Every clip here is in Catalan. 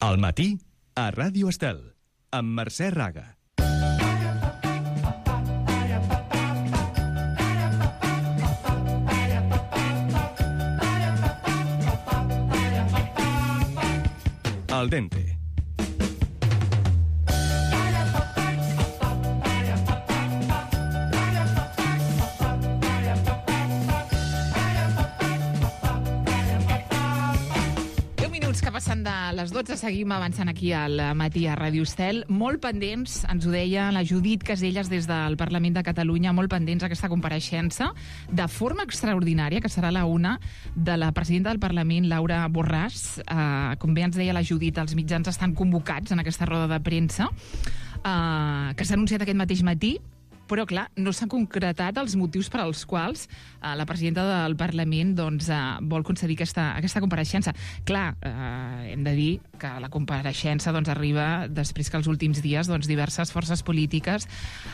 Al matí, a Ràdio Estel, amb Mercè Raga. Al dente. Que passen de les 12, seguim avançant aquí al matí a Ràdio Estel. Molt pendents, ens ho deia la Judit Caselles des del Parlament de Catalunya, molt pendents aquesta compareixença de forma extraordinària, que serà la una, de la presidenta del Parlament, Laura Borràs. Com bé ens deia la Judit, els mitjans estan convocats en aquesta roda de premsa, que s'ha anunciat aquest mateix matí, però, clar, no s'han concretat els motius per als quals la presidenta del Parlament vol concedir aquesta compareixença. Clar, hem de dir que la compareixença arriba després que els últims dies diverses forces polítiques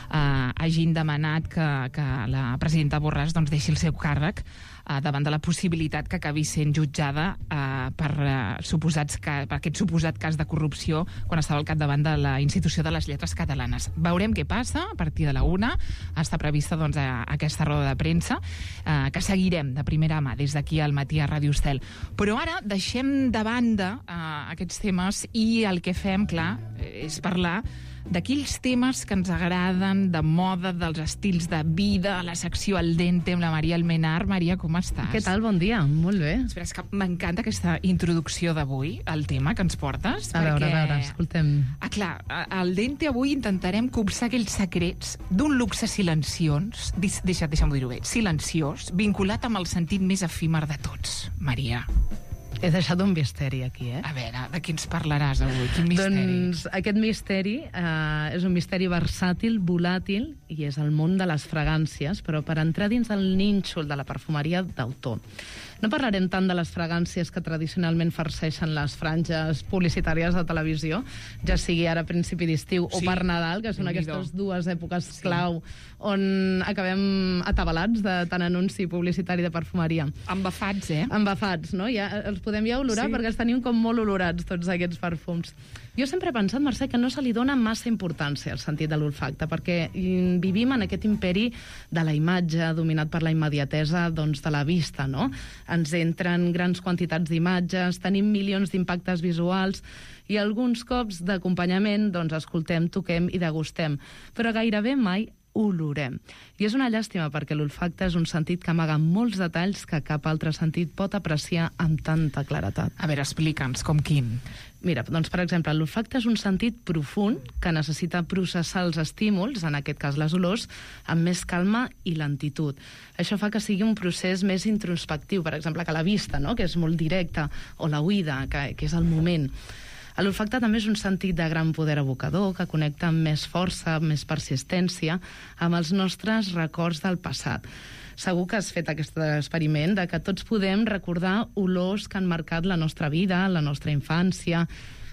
hagin demanat que la presidenta Borràs deixi el seu càrrec davant de la possibilitat que acabi sent jutjada per aquest suposat cas de corrupció quan estava al capdavant de la Institució de les Lletres Catalanes. Veurem què passa a partir de la una. Està prevista aquesta roda de premsa que seguirem de primera mà des d'aquí al matí a Ràdio Estel. Però ara deixem de banda aquests temes i el que fem, clar, és parlar d'aquells temes que ens agraden, de moda, dels estils de vida, a la secció Al dente amb la Maria Almenar. Maria, com estàs? Què tal? Bon dia. Molt bé. Espera, és que m'encanta aquesta introducció d'avui, al tema que ens portes. A veure, escoltem. Clar, al dente avui intentarem copsar aquells secrets d'un luxe silenciós, deixa'm dir-ho bé, silenciós, vinculat amb el sentit més efímer de tots. Maria. He deixat un misteri aquí, A veure, de què ens parlaràs avui? Quin misteri? Doncs aquest misteri és un misteri versàtil, volàtil, i és el món de les fragàncies, però per entrar dins del nínxol de la perfumeria d'autor. No parlarem tant de les fragàncies que tradicionalment farceixen les franges publicitàries de televisió, ja sigui ara a principi d'estiu o per Nadal, que són aquestes dues èpoques clau on acabem atabalats de tant anunci publicitari de perfumeria. Embafats, Embafats, no? Ja els podem ja olorar perquè els tenim com molt olorats, tots aquests perfums. Jo sempre he pensat, Mercè, que no se li dona massa importància al sentit de l'olfacte, perquè vivim en aquest imperi de la imatge, dominat per la immediatesa de la vista, no? Ens entren grans quantitats d'imatges, tenim milions d'impactes visuals i alguns cops d'acompanyament escoltem, toquem i degustem, però gairebé mai olorem. I és una llàstima perquè l'olfacte és un sentit que amaga molts detalls que cap altre sentit pot apreciar amb tanta claretat. A veure, explica'ns, com quin? Mira, doncs, per exemple, l'olfacte és un sentit profund que necessita processar els estímuls, en aquest cas les olors, amb més calma i lentitud. Això fa que sigui un procés més introspectiu, per exemple, que la vista, no?, que és molt directa, o la oïda, que és el moment. L'olfacte també és un sentit de gran poder evocador que connecta amb més força, amb més persistència, amb els nostres records del passat. Segur que has fet aquest experiment de que tots podem recordar olors que han marcat la nostra vida, la nostra infància,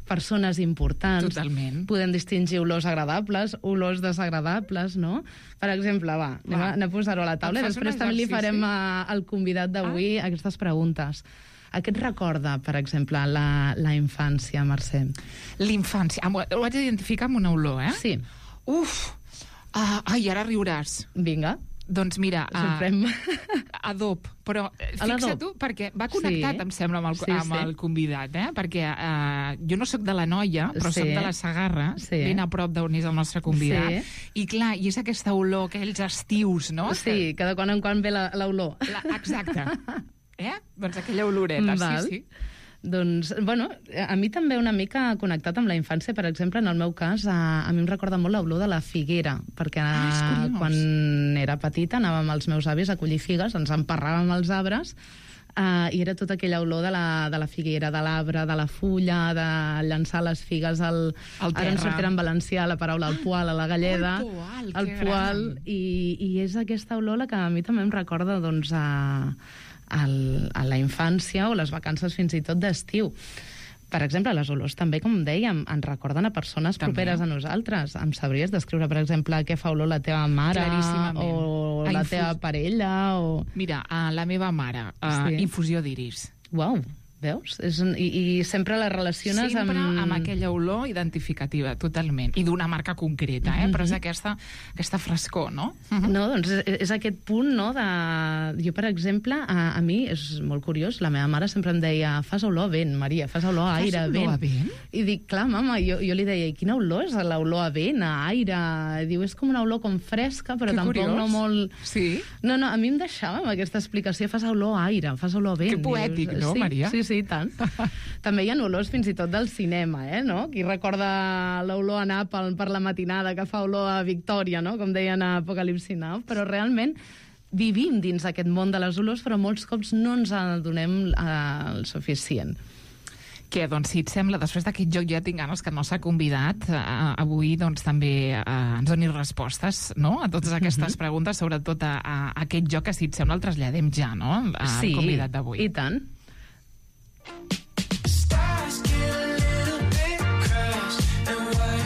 persones importants. Totalment. Podem distingir olors agradables, olors desagradables, no? Per exemple, anem a posar-ho a la taula i després també li farem al convidat d'avui aquestes preguntes. A què et recorda, per exemple, la infància, Mercè? L'infància. Ho vaig identificar amb una olor, Sí. Ai, ara riuràs. Vinga. Doncs mira, adob, però fixa't tu, perquè va connectat, em sembla, amb el convidat, perquè jo no sóc de la Noia, però soc de la Segarra, ben a prop d'on és el nostre convidat, i clar, i és aquesta olor, aquells estius, no? Sí, que de quan en quan ve l'olor. Exacte. Doncs aquella oloreta, sí. Doncs, bueno, a mi també una mica connectat amb la infància, per exemple, en el meu cas, a mi em recorda molt l'olor de la figuera, perquè quan era petita anàvem amb els meus avis a collir figues, ens emparràvem als arbres, i era tota aquella olor de la figuera, de l'arbre, de la fulla, de llançar les figues al terra. Ara ens sortirà en valencià la paraula al poal, a la galleda, al poal, i és aquesta olor la que a mi també em recorda, doncs, a la infància o les vacances fins i tot d'estiu. Per exemple, les olors també, com dèiem, ens recorden a persones properes a nosaltres. Em sabries descriure, per exemple, què fa olor la teva mare o la teva parella? Mira, la meva mare, infusió d'iris. Uau, Veus? I sempre la relaciones sempre amb aquella olor identificativa, totalment. I d'una marca concreta, però és aquesta frescor, no? No, doncs és aquest punt, no? Jo, per exemple, a mi és molt curiós, la meva mare sempre em deia fas olor a vent, Maria, fas olor a aire, a vent. Fas olor a vent? I dic, clar, mama, jo li deia, i quina olor és l'olor a vent, a aire? I diu, és com una olor com fresca, però tampoc no molt... Sí? No, a mi em deixava amb aquesta explicació, fas olor a aire, fas olor a vent. Que poètic, no, Maria? Sí, tant. També hi ha olors fins i tot del cinema, no? Qui recorda l'olor a Nàpols per la matinada que fa olor a Victòria, no? Com deien a Apocalipsi Now, però realment vivim dins aquest món de les olors, però molts cops no ens en donem el suficient. Què, doncs, si et sembla, després d'aquest joc ja tinc ganes que no s'ha convidat avui, doncs, també ens doni respostes, no?, a totes aquestes preguntes, sobretot a aquest joc que, si et sembla, el traslladem ja, no?, al convidat d'avui. Sí, i tant.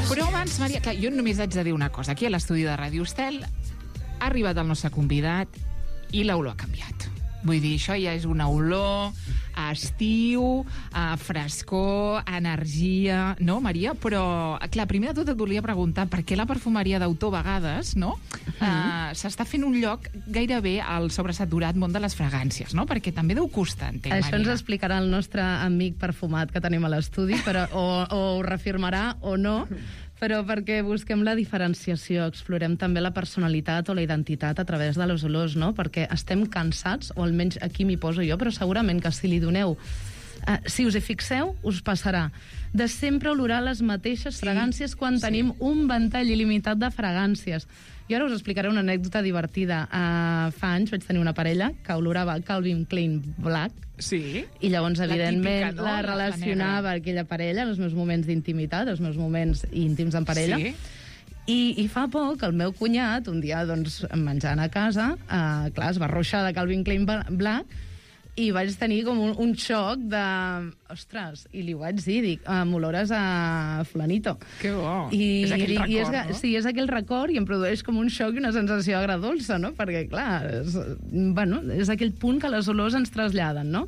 Però abans, Maria, clar, jo només haig de dir una cosa. Aquí a l'estudi de Ràdio Estel ha arribat el nostre convidat i l'olor ha canviat. Vull dir, això ja és una olor a estiu, a frescor, a energia, no, Maria? Però, clar, primer de tot et volia preguntar per què la perfumeria d'autor, a vegades, no?, s'està fent un lloc gairebé al sobresaturat món de les fragàncies, no? Perquè també deu costar, entenc, Maria. Això ens explicarà el nostre amic perfumat que tenim a l'estudi, però o ho reafirmarà o no, però perquè busquem la diferenciació, explorem també la personalitat o la identitat a través de les olors, no? Perquè estem cansats, o almenys aquí m'hi poso jo, però segurament que si li doneu... si us hi fixeu, us passarà de sempre olorar les mateixes fragàncies quan tenim un ventall il·limitat de fragàncies. Jo ara us explicaré una anècdota divertida. Fa anys vaig tenir una parella que olorava Calvin Klein Black. Sí. I llavors, evidentment, típica, no? la relacionava aquella parella, els meus moments d'intimitat, els meus moments íntims en parella. Sí. I fa poc, el meu cunyat, un dia, doncs, menjant a casa, clar, es va arruixar de Calvin Klein Black, i vaig tenir com un xoc de... Ostres, i li ho vaig dir, dic, m'olores a fulanito. Que bo. És aquell record, no? Sí, és aquell record i em produeix com un xoc i una sensació agradolça, no? Perquè, clar, és aquell punt que les olors ens traslladen, no?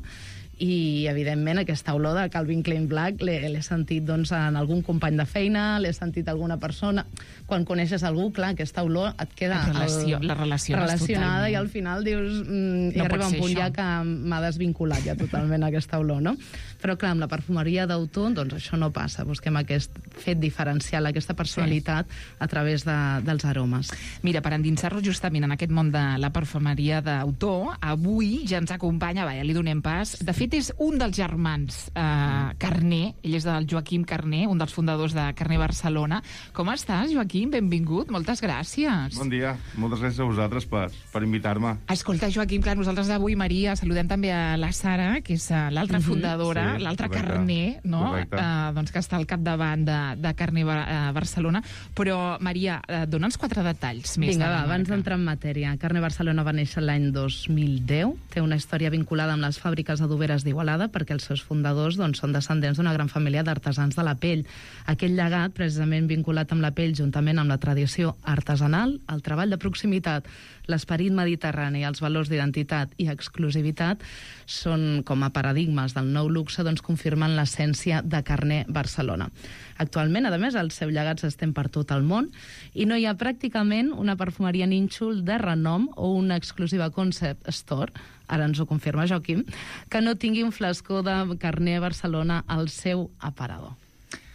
I, evidentment, aquesta olor de Calvin Klein Black l'he sentit, doncs, en algun company de feina, l'he sentit alguna persona. Quan coneixes algú, clar, aquesta olor et queda... La relacionada totalment. I al final dius... I arriba un punt ja que m'ha desvinculat ja totalment aquesta olor, no? Però, clar, amb la perfumeria d'autor, doncs això no passa. Busquem aquest fet diferencial, aquesta personalitat a través dels aromes. Mira, per endinsar-nos justament en aquest món de la perfumeria d'autor, avui ja ens acompanya, ja li donem pas, de fet és un dels germans Carné, ell és del Joaquim Carné, un dels fundadors de Carné Barcelona. Com estàs, Joaquim? Benvingut, moltes gràcies. Bon dia, moltes gràcies a vosaltres per invitar-me. Escolta, Joaquim, clar, nosaltres avui, Maria, saludem també a la Sara, que és l'altra fundadora, l'altre Carné, no? Doncs que està al capdavant de Carné Barcelona. Però, Maria, dona'ns 4 detalls més. Vinga, abans d'entrar en matèria. Carné Barcelona va néixer l'any 2010, té una història vinculada amb les fàbriques adoberes d'Igualada, perquè els seus fundadors, doncs, són descendents d'una gran família d'artesans de la pell. Aquell llegat, precisament vinculat amb la pell, juntament amb la tradició artesanal, el treball de proximitat, l'esperit mediterrani, els valors d'identitat i exclusivitat, són com a paradigmes del nou luxe, doncs confirmen l'essència de Carné Barcelona. Actualment, a més, el seu llegat s'estén per tot el món i no hi ha pràcticament una perfumeria nínxol de renom o una exclusiva concept store, ara ens ho confirma Joaquim, que no tingui un flascó de Carné Barcelona al seu aparador.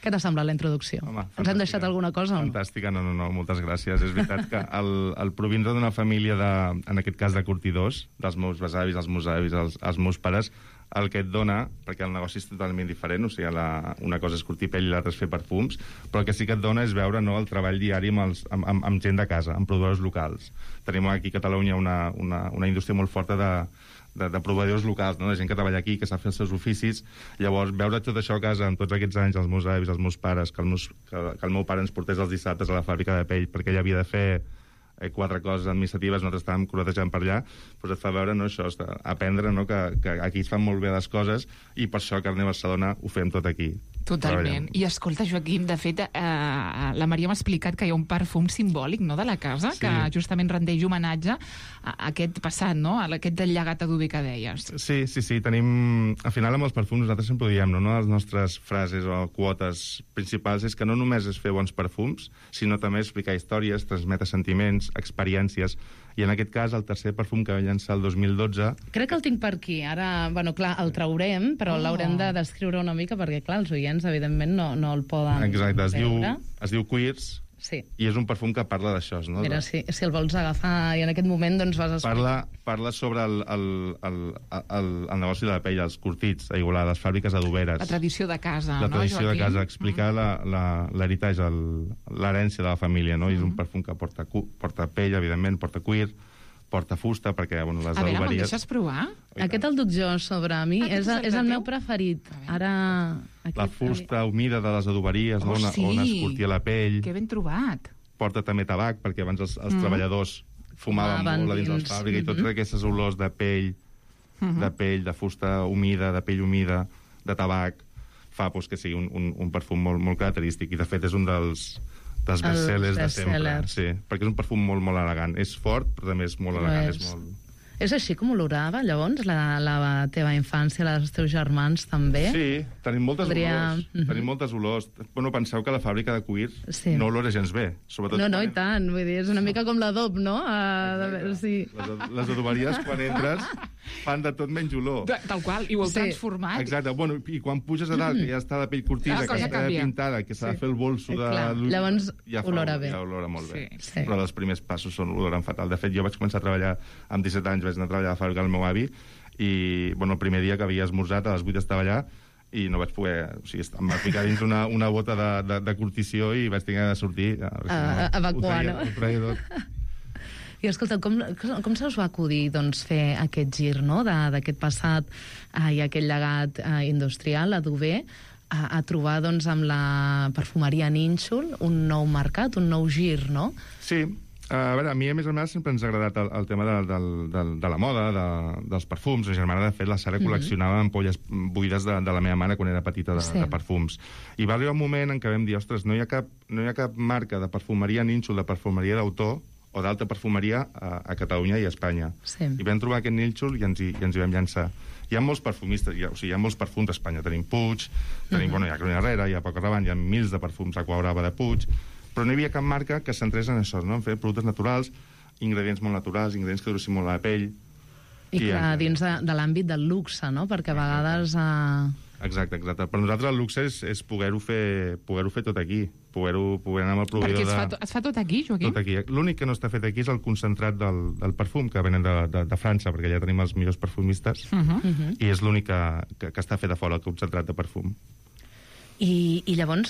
Què t'ha semblat la introducció? Home, ens hem deixat alguna cosa? Fantàstica, no, moltes gràcies. És veritat que el provins d'una família, en aquest cas de curtidors, dels meus besavis, els meus avis, els meus pares, el que et dona, perquè el negoci és totalment diferent, o sigui, una cosa és curtir pell i l'altra és fer perfums, però el que sí que et dona és veure el treball diari amb gent de casa, amb proveïdors locals. Tenim aquí a Catalunya una indústria molt forta de proveïdors locals, no? De gent que treballa aquí, que sap fer els seus oficis. Llavors, veure tot això a casa en tots aquests anys, els meus avis, els meus pares, que el meu pare ens portés els dissabtes a la fàbrica de pell perquè ell havia de fer 4 coses administratives, nosaltres estàvem corretejant per allà, doncs et fa veure, no, això, aprendre, no, que aquí es fan molt bé les coses i per això a Carner Barcelona ho fem tot aquí. Totalment. I escolta, Joaquim, de fet, la Maria m'ha explicat que hi ha un perfum simbòlic, no?, de la casa, que justament rendeix homenatge a aquest passat, no?, a aquest del llegat adober que deies. Sí. Tenim... Al final, amb els perfums, nosaltres sempre ho diem, no? Una de les nostres frases o quotes principals és que no només és fer bons perfums, sinó també explicar històries, transmetre sentiments, experiències. I en aquest cas, el tercer perfum que va llançar el 2012... Crec que el tinc per aquí. Ara, bueno, clar, el traurem, però l'haurem de descriure una mica, perquè, clar, els oients, evidentment, no el poden Exacte, veure. Es diu Queers, sí. I és un perfum que parla d'això, no? Mira, si el vols agafar i en aquest moment, doncs vas explicar. Parla sobre el negoci de la pell, els curtits, a Igualada, les fàbriques adoberes. La tradició de casa, la no, tradició Joaquim? de casa, explicar l'heritatge, l'herència de la família, no? I és un perfum que porta pell, evidentment, porta cuir, porta fusta, perquè, bueno, les adoberies... A veure, me'l deixes provar? Aquest el duc jo sobre mi, és el meu preferit. Ara... La fusta humida de les adoberies, on es curtia la pell. Que ben trobat. Porta també tabac, perquè abans els treballadors fumaven molt a dins de la fàbrica i totes aquestes olors de pell, de fusta humida, de pell humida, de tabac, fa que sigui un perfum molt característic. I, de fet, és un dels bestsellers de sempre. Sí, perquè és un perfum molt elegant. És fort, però també és molt elegant. És així com olorava, llavors, la teva infància, els teus germans, també? Sí, tenim moltes olors. Tenim moltes olors. Bueno, penseu que la fàbrica de cuir no olora gens bé. No, i tant. Vull dir, és una mica com l'adob, no? Les adoberies, quan entres, fan de tot menys olor. Tal qual, i ho heu transformat. Exacte. Bueno, i quan puges a dalt, que ja està la pell curtida, que està pintada, que s'ha de fer el bolso de... Llavors, olora bé. Ja olora molt bé. Però els primers passos oloren fatal. De fet, jo vaig començar a treballar amb 17 anys, vaig anar a treballar a la fàbrica del meu avi i, bueno, el primer dia que havia esmorzat a les 8 estava allà i no vaig poder... O sigui, em va ficar dins una bota de curtició i vaig tenir de sortir... Evacuar, no? Ho treia tot. I escolta, com se us va acudir doncs, fer aquest gir, no?, d'aquest passat i aquest llegat industrial, adober, a trobar doncs, amb la perfumeria Nínxol un nou mercat, un nou gir, no? Sí. A veure, a mi, a més sempre ens ha agradat el tema de la moda, dels perfums. La germana, de fet, la Sara col·leccionava ampolles buides de la meva mare quan era petita de perfums. I va arribar un moment en què vam dir, ostres, no hi ha cap marca de perfumeria Nínxol, de perfumeria d'autor, o d'alta perfumeria a Catalunya i a Espanya. Sí. I vam trobar aquest Nínxol i ens hi vam llançar. Hi ha molts perfumistes, o sigui, hi ha molts perfums a Espanya. Tenim Puig, tenim, bueno, hi ha Carolina Herrera, hi ha Paco Rabanne, hi ha mils de perfums, Aqua Brava de Puig, però no hi havia cap marca que centrés en això, no? En fer productes naturals, ingredients molt naturals, ingredients que duressin molt a la pell. I clar, dins de l'àmbit del luxe, no? Perquè a vegades... Exacte. Per nosaltres el luxe és poder-ho fer tot aquí, poder anar amb el proveïdor de... Perquè es fa tot aquí, Joaquim? Tot aquí. L'únic que no està fet aquí és el concentrat del perfum, que venen de França, perquè allà tenim els millors perfumistes, i és l'únic que està fet a fora, el concentrat de perfum. I llavors,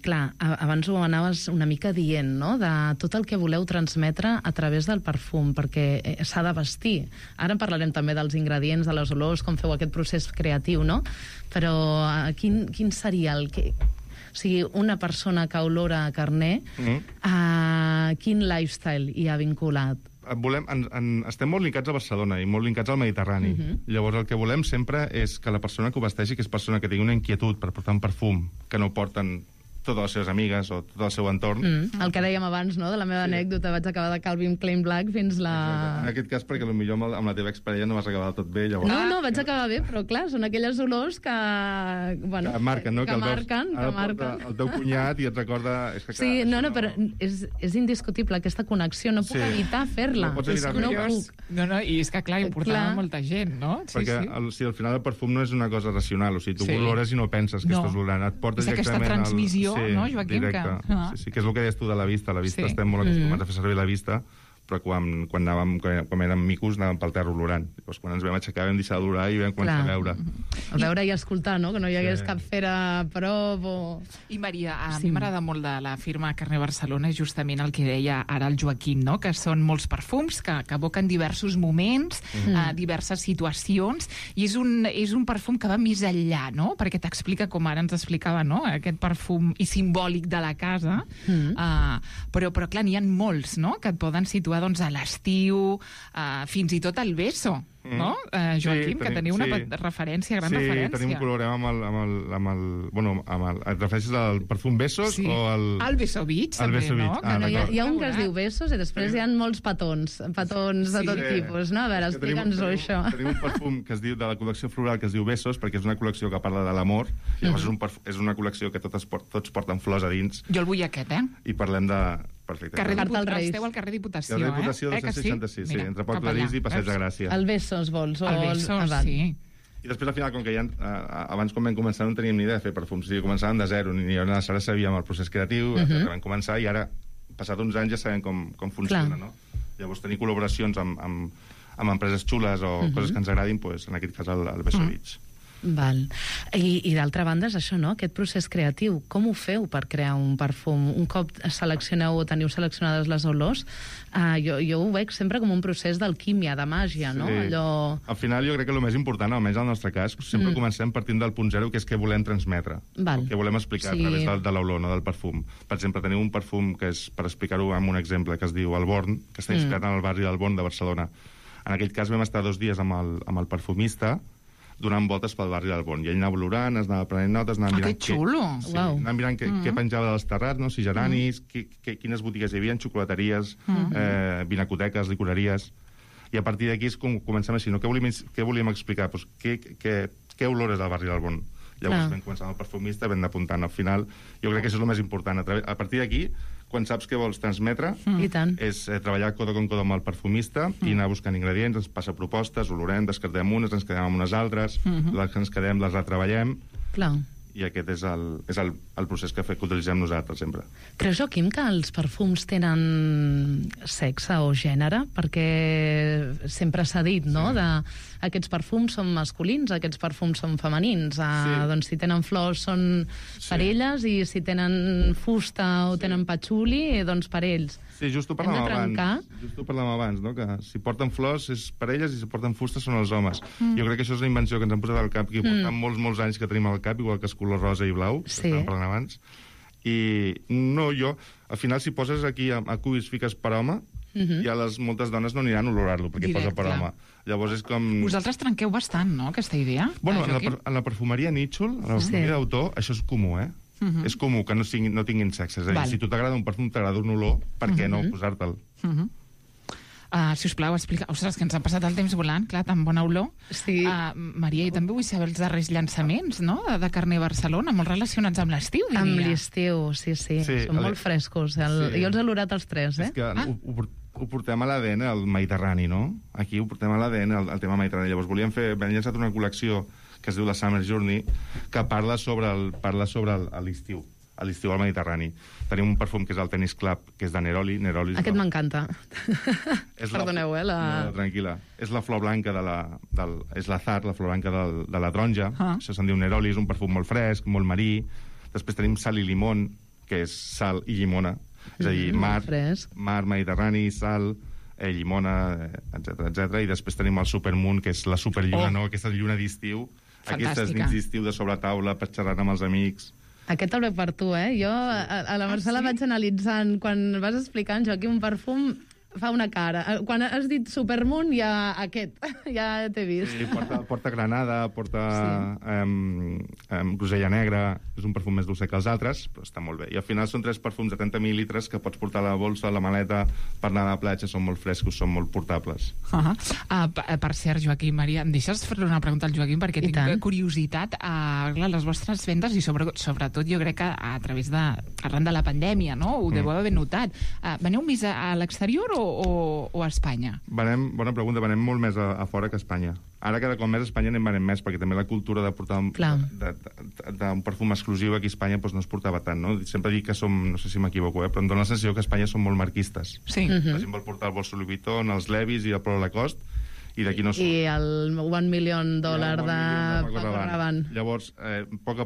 clar, abans ho anaves una mica dient, no?, de tot el que voleu transmetre a través del perfum, perquè s'ha de vestir. Ara en parlarem també dels ingredients, de les olors, com feu aquest procés creatiu, no? Però quin seria el que... O sigui, una persona que olora a Carner, quin lifestyle hi ha vinculat? Estem molt linkats a Barcelona i molt linkats al Mediterrani. Llavors, el que volem sempre és que la persona que ho vesteixi, que és persona que tingui una inquietud per portar un perfum que no porten totes les seves amigues o tot el seu entorn. El que dèiem abans, no?, de la meva anècdota, vaig acabar de Calvin Klein Black fins la... Exacte. En aquest cas, perquè potser amb la teva exparella no vas acabar tot bé, llavors... No, vaig acabar bé, però clar, són aquelles olors que... Bueno, que marquen, no? Que marquen. El teu cunyat i et recorda... Sí, no, però és indiscutible aquesta connexió, no puc evitar fer-la. No pots evitar-la. No, i és que clar, hi portava molta gent, no? Perquè al final el perfum no és una cosa racional, o sigui, tu olores i no penses que estàs olorant, et porta directament... És aquesta transmissió, no, Joaquim? Sí, que és el que deies tu de la vista. La vista estem molt acostumats a fer servir la vista però quan érem micos anàvem pel terra olorant. Llavors, quan ens vam aixecar vam deixar d'olorar i vam començar a veure. A veure i escoltar, no? Que no hi hagués cap fera a prop o... I Maria, a mi m'agrada molt de la firma Carner Barcelona justament el que deia ara el Joaquim, no? Que són molts perfums que evoquen diversos moments, diverses situacions, i és un perfum que va més enllà, no? Perquè t'explica, com ara ens explicava, no? Aquest perfum i simbòlic de la casa, però clar, n'hi ha molts, no? Que et poden situar doncs, a l'estiu, fins i tot al beso, no? Joaquim, que teniu una referència, gran referència. Sí, tenim un colorem amb el... Bueno, et refereixes al perfum Besos o al... Al Beso Beach, també, no? Hi ha un que es diu Besos i després hi ha molts petons de tot tipus, no? A veure, explica'ns-ho, això. Tenim un perfum que es diu, de la col·lecció floral, que es diu Besos, perquè és una col·lecció que parla de l'amor, llavors és una col·lecció que tots porten flors a dins. Jo el vull aquest, I parlem de... Perfecte. Esteu al carrer Diputació, Carrer Diputació 266, sí, entre Port de Lis i Passeig de Gràcia. El Besos vols? El Besos, sí. I després, al final, com que ja abans, quan vam començar, no teníem ni idea de fer perfums. O sigui, començàvem de zero, ni aleshores sabíem el procés creatiu, vam començar, i ara, passat uns anys, ja sabem com funciona, no? Llavors, tenir col·laboracions amb empreses xules o coses que ens agradin, doncs, en aquest cas, el Beso Beach. Val. I d'altra banda és això, no? Aquest procés creatiu. Com ho feu per crear un perfum? Un cop seleccioneu o teniu seleccionades les olors, jo ho veig sempre com un procés d'alquímia, de màgia, no? Al final jo crec que el més important, almenys al nostre cas, sempre comencem partint del punt zero, que és què volem transmetre, què volem explicar a través de l'olor, no del perfum. Per exemple, tenim un perfum que és, per explicar-ho amb un exemple, que es diu El Born, que està inspirat en el barri del Born de Barcelona. En aquell cas vam estar 2 dies amb el perfumista donant voltes pel barri del Born. I ell anava olorant, es anava prenent notes, anava mirant... Que xulo! Anava mirant què penjava dels terrats, no? Si geranis, quines botigues hi havia, xocolateries, vinacoteques, licoreries... I a partir d'aquí és com comencem així, no? Què volíem explicar? Pues, què olores al barri del Born? Llavors vam començar amb el perfumista, vam apuntant al final. Jo crec que això és el més important. A partir d'aquí, quan saps què vols transmetre, és treballar codo con codo amb el perfumista i anar buscant ingredients, ens passa propostes, olorem, descartem unes, ens quedem amb unes altres, les que ens quedem les retreballem. Clar. I aquest és el procés que utilitzem nosaltres sempre. Creus, Joaquim, que els perfums tenen sexe o gènere? Perquè sempre s'ha dit, no?, aquests perfums són masculins, aquests perfums són femenins. Doncs si tenen flors són per elles i si tenen fusta o tenen patxuli, doncs per ells. Sí, just ho parlàvem abans, no? Que si porten flors és per elles i si porten fusta són els homes. Jo crec que això és una invenció que ens han posat al cap, que portem molts anys que tenim al cap, igual que és color rosa i blau, que estàvem parlant abans. I no, al final, si poses aquí a cuis fiques per home, ja moltes dones no aniran a olorar-lo, perquè posa per home. Llavors és com... Vosaltres trenqueu bastant, no?, aquesta idea. Bueno, en la perfumeria nítxol, en la perfumeria d'autor, això és comú, És comú que no tinguin sexe. És a dir, si tu t'agrada un perfum, t'agrada un olor, per què no posar-te'l? Si us plau, explica... Ostres, que ens han passat el temps volant, clar, tan bona olor. Sí. Maria, i també vull saber els darrers llançaments, no?, de Carner Barcelona, molt relacionats amb l'estiu, diria. Amb l'estiu, sí. Són molt frescos. Jo els he olorat els 3, És que ho portem a l'ADN, el Mediterrani, no? Aquí ho portem a l'ADN, el tema Mediterrani. Llavors vam llançar una col·lecció que es diu la Summer Journey, que parla sobre l'estiu, al Mediterrani. Tenim un perfum que és el Tennis Club, que és de Neroli. Aquest m'encanta. Perdoneu, No, tranquil·la. És la flor blanca és l'azar, la flor blanca de la taronja. Això se'n diu Neroli, és un perfum molt fresc, molt marí. Després tenim sal i limón, que és sal i llimona. És a dir, mar, Mediterrani, sal, llimona, etc. I després tenim el Supermoon, que és la superlluna, no? Aquesta lluna d'estiu, aquestes nits d'estiu de sobretaula per xerrar amb els amics. Aquest el veig per tu, Jo a la Marcela vaig analitzant, quan vas explicant, Joaquim, un perfum fa una cara. Quan has dit Supermoon, ja t'he vist. Sí, porta granada, porta grosella negra, és un perfum més dolcer que els altres, però està molt bé. I al final són 3 perfums de 30 mil·litres que pots portar a la bolsa, a la maleta, per anar a la platja, són molt frescos, són molt portables. Per cert, Joaquim, Maria, em deixes fer una pregunta al Joaquim, perquè tinc curiositat a les vostres vendes i sobretot jo crec que a través arran de la pandèmia, no? Ho deveu haver notat. Veneu més a l'exterior o a Espanya? Bona pregunta, venem molt més a fora que a Espanya. Ara cada cop més a Espanya venem més, perquè també la cultura de portar un perfum exclusiu aquí a Espanya no es portava tant, no? Sempre dic que som, no sé si m'equivoco, però em dóna la sensació que a Espanya som molt marquistes. Sí. La gent vol portar el bolso Louis Vuitton, els Levis i el Polo Lacoste, i d'aquí no som. I el $1 milió de Paco Rabanne. Llavors, a poc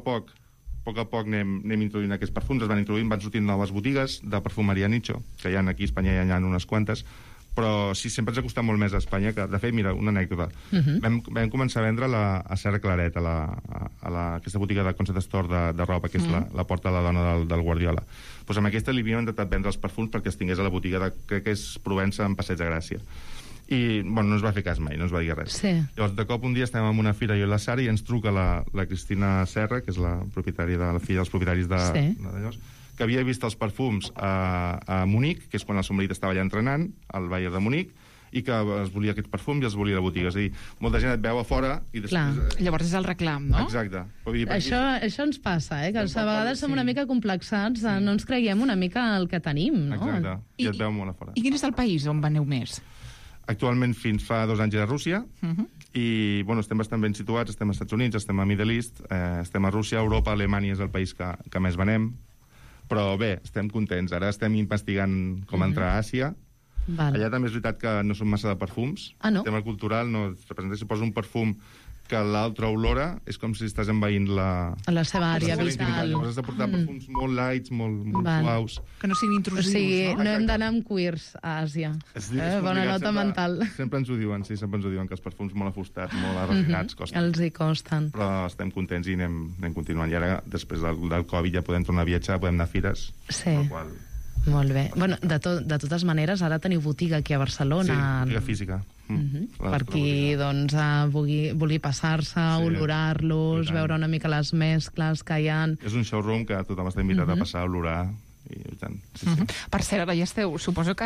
a poc anem introduint aquests perfums, van sortint noves botigues de perfumeria nicho, que hi ha aquí a Espanya hi ha unes quantes, però sí, sempre ens ha costat molt més a Espanya, que, de fet, mira, una anècdota. Vam començar a vendre a Serra Claret, a aquesta botiga de Concept Store de roba, que és la porta de la dona del Guardiola. Doncs amb aquesta li havíem intentat vendre els perfums perquè els tingués a la botiga crec que és Provença, en Passeig de Gràcia. I, bueno, no ens va fer cas mai, no ens va dir res. Sí. Llavors, de cop un dia estem en una fira, jo i la Sara, i ens truca la Cristina Serra, que és la filla dels propietaris d'allò, que havia vist els perfums a Munic, que és quan el seu marit estava allà entrenant, al Bayern de Munic, i que es volia aquest perfum i els volia a la botiga. És a dir, molta gent et veu a fora i després... Llavors és el reclam, no? Exacte. Això ens passa, que a vegades som una mica complexats, no ens creiem una mica el que tenim, no? Exacte, i et veu molt a fora. I quin és el país on veneu més? Actualment, fins fa 2 anys, era Rússia, i bueno, estem bastant ben situats, estem als Estats Units, estem a Middle East, estem a Rússia, Europa, Alemanya és el país que més venem, però bé, estem contents. Ara estem investigant com entrar a Àsia. Allà també és veritat que no són massa de perfums. No? El tema cultural no es representa. Si posa un perfum que l'altre olora, és com si estàs envaint la seva àrea vital. Llavors has de portar perfums molt lights, molt suaus. Que no siguin intrusius, no? O sigui, no hem Exacte. d'anar amb queers a Àsia. Bona nota mental. Sempre ens ho diuen, que els perfums molt afustats, molt arrefinats costen. Els hi costen. Però estem contents i anem continuant. I ara, després del Covid, ja podem tornar a viatjar, podem anar a fires. Sí. Molt bé. Bueno, de totes maneres, ara teniu botiga aquí a Barcelona. Sí, botiga física. Per qui doncs, vulgui passar-se, olorar-los, veure una mica les mescles que hi ha. És un showroom que tothom està invitat a passar a olorar. I tant. Per cert, ara ja esteu... Suposo que,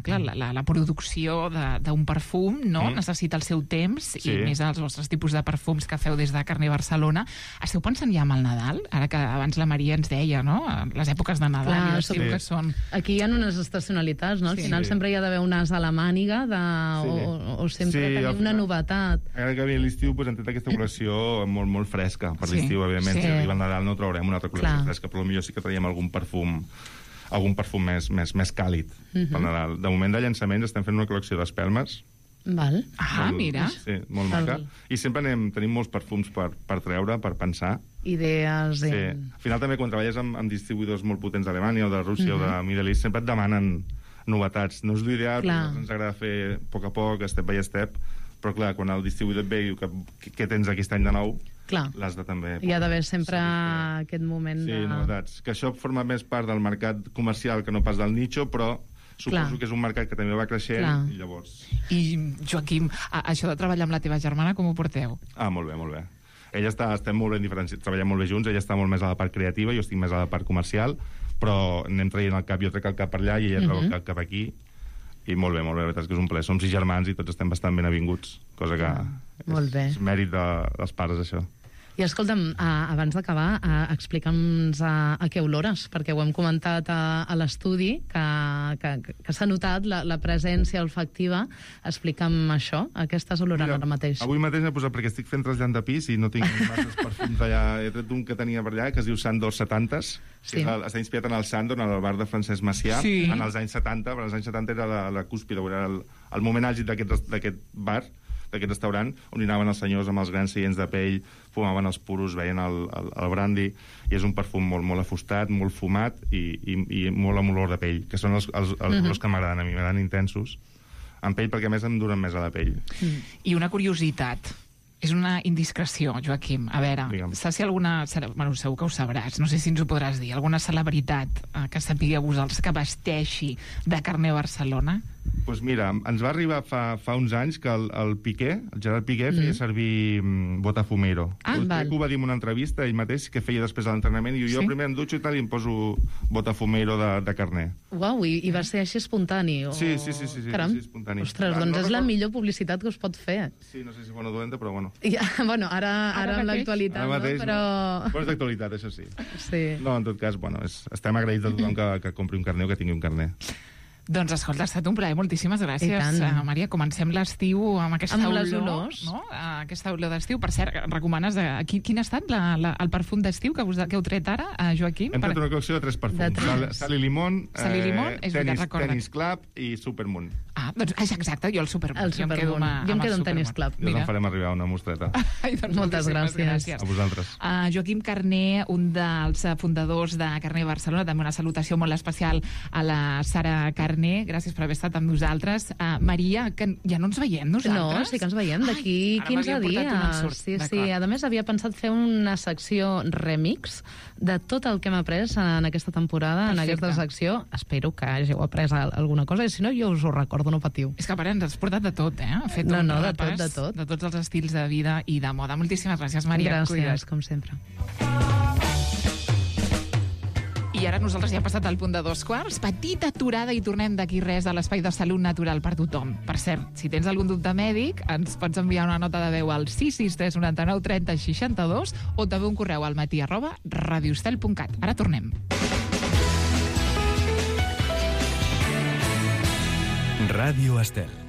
clar, la producció d'un perfum necessita el seu temps, i més els vostres tipus de perfums que feu des de Carner Barcelona. Esteu pensant ja en el Nadal? Ara que abans la Maria ens deia, no? Les èpoques de Nadal i d'estiu que són... Aquí hi ha unes estacionalitats, no? Al final sempre hi ha d'haver un as a la màniga o sempre tenir una novetat. Ara que ve l'estiu hem tret aquesta col·lecció molt fresca per l'estiu, evidentment. Si arriba el Nadal no traurem una altra col·lecció fresca, però potser sí que traiem algun perfum més càlid pel Nadal. De moment de llançaments estem fent una col·lecció d'espelmes. Mira. Sí, molt maca. I sempre tenim molts perfums per treure, per pensar. Idees. Sí. Al final també quan treballes amb distribuïdors molt potents d'Alemanya o de Rússia o de Middle East sempre et demanen novetats. No és l'ideal, però ens agrada fer a poc, step by step, però clar, quan el distribuïdor et ve i diu què tens aquest any de nou, l'has de també... Hi ha d'haver sempre aquest moment de... Sí, novetats. Que això forma més part del mercat comercial que no pas del nicho, però suposo que és un mercat que també va creixent i llavors... I, Joaquim, això de treballar amb la teva germana, com ho porteu? Molt bé, molt bé. Ella estem molt ben diferenciats, treballem molt bé junts, ella està molt més a la part creativa, jo estic més a la part comercial, però anem traient el cap, jo trec el cap per allà i ella treu el cap aquí, i molt bé, la veritat és que és un plaer. Som 6 germans i tots estem bastant ben avinguts, cosa que és mèrit dels pares, això. I escolta'm, abans d'acabar, explica'ns a què olores, perquè ho hem comentat a l'estudi, que s'ha notat la presència olfactiva. Explica'm això, a què estàs olorant ara mateix? Avui mateix m'he posat, perquè estic fent trasllat de pis i no tinc masses perfums allà. He tret un que tenia per allà, que es diu Sandor 70s, que està inspirat en el Sandor, en el bar de Francesc Macià, en els anys 70, però als anys 70 era la cúspide, era el moment àlgid d'aquest bar, d'aquest restaurant, on hi anaven els senyors amb els grans seients de pell, fumaven els puros, veien el brandy, i és un perfum molt afustat, molt fumat i molt amb olor de pell, que són els olors que m'agraden a mi, m'agraden intensos, en pell, perquè a més em duren més a la pell. I una curiositat, és una indiscreció, Joaquim. A veure, saps si alguna... Bueno, segur que ho sabràs, no sé si ens ho podràs dir. Alguna celebritat que sapigueu vosaltres que vesteixi de Carner Barcelona? Doncs mira, ens va arribar fa uns anys que el Piqué, el Gerard Piqué, feia servir Botafumero. Crec que ho va dir en una entrevista, ell mateix, que feia després de l'entrenament, i jo primer em dutxo i tal, i em poso Botafumero de Carner. Uau, i va ser així espontani? Sí, espontani. Ostres, doncs és la millor publicitat que us pot fer. Sí, no sé si bona o dolenta, però bueno. Bueno, ara amb l'actualitat, no? Però és d'actualitat, això sí. No, en tot cas, bueno, estem agraïts a tothom que compri un carner o que tingui un carner. Doncs escolta, ha estat un plaer, moltíssimes gràcies, Maria. Comencem l'estiu amb aquesta olor. Les olors. No? Aquesta olor d'estiu. Per cert, recomanes... Quin ha estat el perfum d'estiu que heu tret ara, Joaquim? Hem tret una col·lecció de 3 perfums. Sal i limón, Tennis Club i Supermoon. Doncs exacte, jo el Supermoon. Jo em quedo amb Tennis Club. I us en farem arribar una mostreta. Moltes gràcies. A vosaltres. Joaquim Carner, un dels fundadors de Carner Barcelona, també una salutació molt especial a la Sara Carner, gràcies per haver estat amb nosaltres. Maria, que ja no ens veiem nosaltres? No, sí que ens veiem d'aquí 15 dies. Sí. A més, havia pensat fer una secció remix de tot el que hem après en aquesta temporada, en aquesta secció. Espero que hàgiu après alguna cosa, i si no, jo us ho recordo, no patiu. És que a part ens has portat de tot, eh? Ha fet un repàs de tot. De tots els estils de vida i de moda. Moltíssimes gràcies, Maria. Gràcies, com sempre. I ara nosaltres ja hem passat al punt de 2:15. Petita aturada i tornem d'aquí res a l'espai de salut natural per tothom. Per cert, si tens algun dubte mèdic, ens pots enviar una nota de veu al 663 99 30 62 o també un correu al matí@radioestel.cat. Ara tornem. Ràdio Estel.